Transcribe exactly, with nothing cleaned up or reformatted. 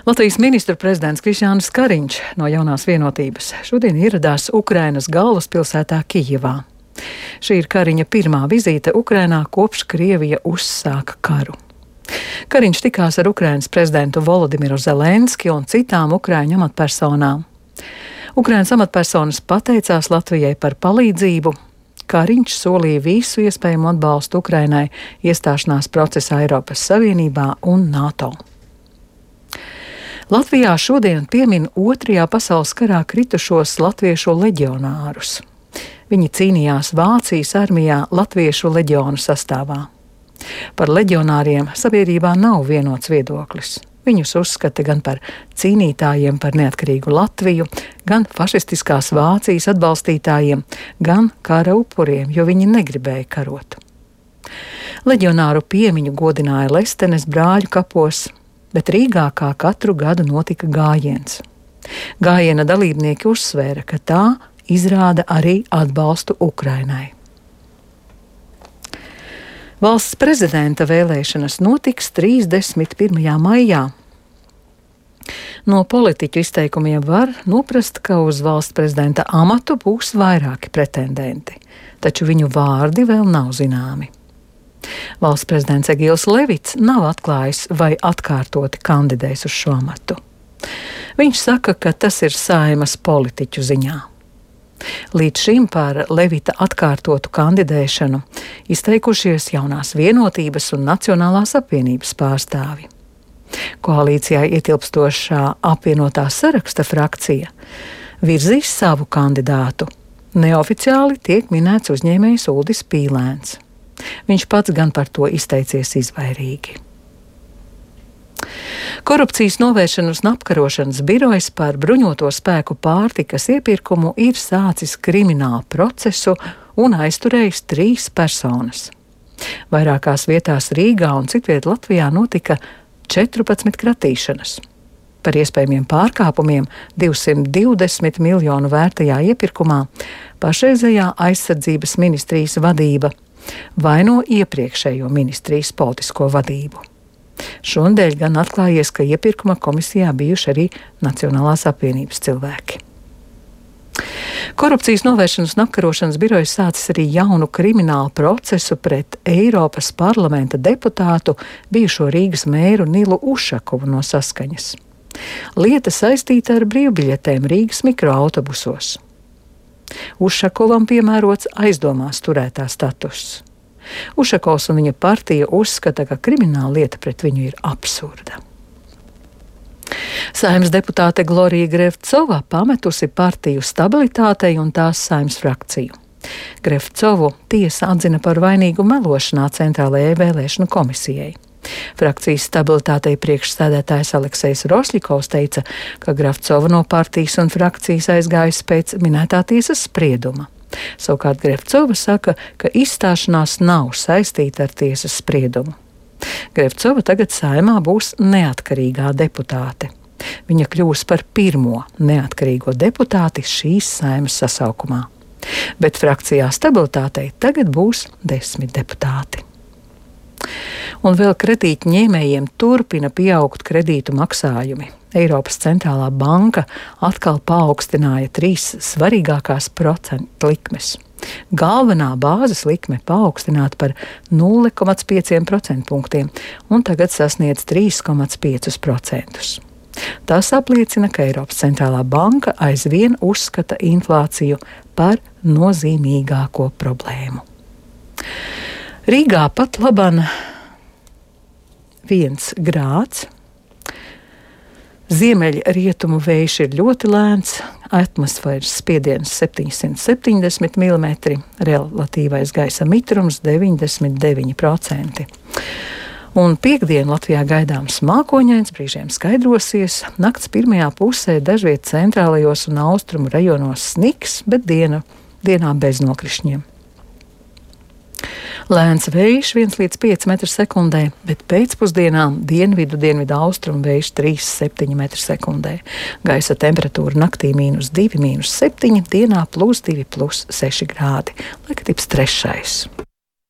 Latvijas ministru prezidents Krišjānis Kariņš no Jaunās vienotības šodien ieradās Ukrainas galvaspilsētā Kijevā. Šī ir Kariņa pirmā vizīte Ukrainā kopš Krievija uzsāka karu. Kariņš tikās ar Ukrainas prezidentu Volodimiru Zelenski un citām Ukraiņu amatpersonām. Ukrainas amatpersonas pateicās Latvijai par palīdzību. Kariņš solīja visu iespējamo atbalstu Ukrainai iestāšanās procesā Eiropas Savienībā un NATO. Latvijā šodien piemin otrajā pasaules karā kritušos latviešu leģionārus. Viņi cīnījās Vācijas armijā latviešu leģionu sastāvā. Par leģionāriem sabiedrībā nav vienots viedoklis. Viņus uzskata gan par cīnītājiem par neatkarīgu Latviju, gan fašistiskās Vācijas atbalstītājiem, gan kara upuriem, jo viņi negribēja karot. Leģionāru piemiņu godināja Lestenes brāļu kapos, bet Rīgā kā katru gadu notika gājiens. Gājiena dalībnieki uzsvēra, ka tā izrāda arī atbalstu Ukrainai. Valsts prezidenta vēlēšanas notiks trīsdesmit pirmajā maijā. No politiķu izteikumiem var noprast, ka uz valsts prezidenta amatu būs vairāki pretendenti, taču viņu vārdi vēl nav zināmi. Valsts prezidents Egils Levits nav atklājis, vai atkārtoti kandidēs uz šo amatu. Viņš saka, ka tas ir Saeimas politiķu ziņā. Līdz šim par Levita atkārtotu kandidēšanu izteikušies Jaunās vienotības un Nacionālās apvienības pārstāvi. Koalīcijā ietilpstošā apvienotā saraksta frakcija virzīs savu kandidātu. Neoficiāli tiek minēts uzņēmējs Uldis Pīlēns. Viņš pats gan par to izteicies izvairīgi. Korupcijas novēršanas un apkarošanas birojs par bruņoto spēku pārtikas iepirkumu ir sācis kriminālu procesu un aizturējis trīs personas. Vairākās vietās Rīgā un citviet Latvijā notika četrpadsmit kratīšanas. Par iespējamiem pārkāpumiem divsimt divdesmit miljonu vērtajā iepirkumā pašreizējā aizsardzības ministrijas vadība vaino iepriekšējo ministrijas politisko vadību. Šonadēļ gan atklājies, ka iepirkuma komisijā bijuši arī Nacionālās apvienības cilvēki. Korupcijas novēršanas un apkarošanas birojas sācis arī jaunu kriminālu procesu pret Eiropas parlamenta deputātu, bijušo Rīgas mēru Nilu Ušakovu no Saskaņas. Lieta saistīta ar brīvbiļetēm Rīgas mikroautobusos. Ušakovam piemērots aizdomās turētā status. Ušakovs un viņa partija uzskata, ka krimināla lieta pret viņu ir absurda. Saeimas deputāte Glorija Grevcova pametusi partiju Stabilitātei un tās Saeimas frakciju. Grevcovu tiesa atzina par vainīgu melošanā Centrālajai vēlēšanu komisijai. Frakcijas Stabilitātei priekšsēdētājs Aleksejs Rosļikovs teica, ka Grevcova no partijas un frakcijas aizgājusi pēc minētā tiesas sprieduma. Savukārt Grevcova saka, ka izstāšanās nav saistīta ar tiesas spriedumu. Grevcova tagad Saeimā būs neatkarīgā deputāte. Viņa kļūs par pirmo neatkarīgo deputāti šīs Saeimas sasaukumā. Bet frakcijā Stabilitātei tagad būs desmit deputāti. Un vēl kredītņēmējiem turpina pieaugt kredītu maksājumi. Eiropas centrālā banka atkal paaugstināja trīs svarīgākās procentu likmes. Galvenā bāzes likme paaugstināta par nulle komats pieci procentpunktiem un tagad sasniedz trīs komats pieci procenti. Tas apliecina, ka Eiropas centrālā banka aizvien uzskata inflāciju par nozīmīgāko problēmu. Rīgā pat laban viens grāds. Ziemeļrietumu vējš ir ļoti lēns, atmosfēras spiediens septiņsimt septiņdesmit milimetri, relatīvais gaisa mitrums deviņdesmit deviņi procenti. Un piektdien Latvijā gaidāms mākoņains, brīžiem skaidrosies, nakts pirmajā pusē dažviet centrālajos un austrumu rajonos sniks, bet diena, dienā bez nokrišņiem. Lēns vējš viens līdz pieci metri sekundē, bet pēcpusdienā dienvidu, dienvidu austrumu vējš trīs līdz septiņi metri sekundē. Gaisa temperatūra naktī mīnus divi, mīnus septiņi, dienā plus divi, plus seši grādi. Laika tips trešais.